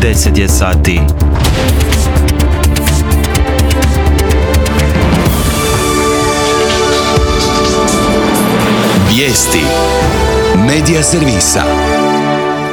10 je sati. Vijesti Medija servisa.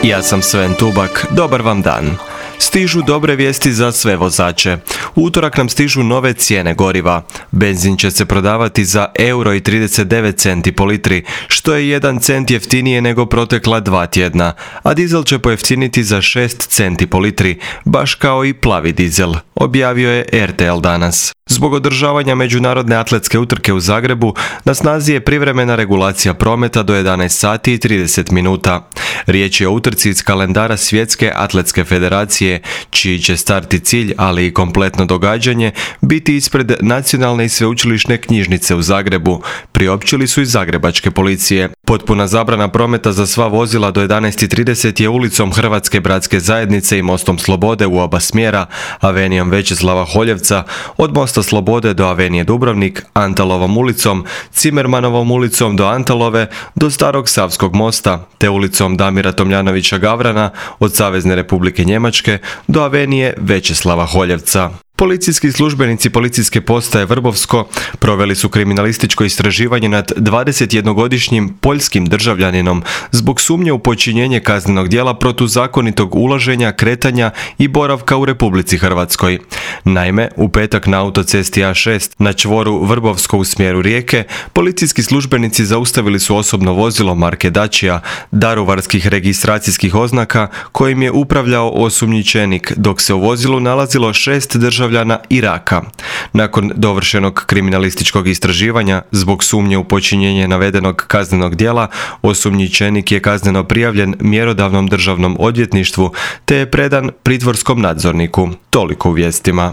Ja sam Sven Tubak, dobar vam dan. Stižu dobre vijesti za sve vozače. U utorak nam stižu nove cijene goriva. Benzin će se prodavati za €1,39 po litri, što je 1 cent jeftinije nego protekla 2 tjedna, a dizel će pojeftiniti za 6 centi po litri, baš kao i plavi dizel, objavio je RTL danas. Zbog održavanja međunarodne atletske utrke u Zagrebu, na snazi je privremena regulacija prometa do 11 sati i 30 minuta. Riječ je o utrci iz kalendara Svjetske atletske federacije, čiji će start i cilj, ali i kompletno događanje, biti ispred Nacionalne i sveučilišne knjižnice u Zagrebu, priopćili su iz zagrebačke policije. Potpuna zabrana prometa za sva vozila do 11:30 je ulicom Hrvatske bratske zajednice i mostom Slobode u oba smjera, avenijom Većeslava Holjevca, od mosta Slobode do avenije Dubrovnik, Antalovom ulicom, Cimermanovom ulicom do Antalove, do Starog Savskog mosta, te ulicom Damira Tomljanovića Gavrana od Savezne Republike Njemačke do avenije Većeslava Holjevca. Policijski službenici policijske postaje Vrbovsko proveli su kriminalističko istraživanje nad 21-godišnjim poljskim državljaninom zbog sumnje u počinjenje kaznenog djela protuzakonitog ulaženja, kretanja i boravka u Republici Hrvatskoj. Naime, u petak na autocesti A6 na čvoru Vrbovsko u smjeru Rijeke, policijski službenici zaustavili su osobno vozilo marke Dacia, daruvarskih registracijskih oznaka, kojim je upravljao osumnjičenik, dok se u vozilu nalazilo 6 državljana Iraka. Nakon dovršenog kriminalističkog istraživanja, zbog sumnje u počinjenje navedenog kaznenog djela, osumnjičenik je kazneno prijavljen mjerodavnom državnom odvjetništvu te je predan pritvorskom nadzorniku. Toliko u vijestima.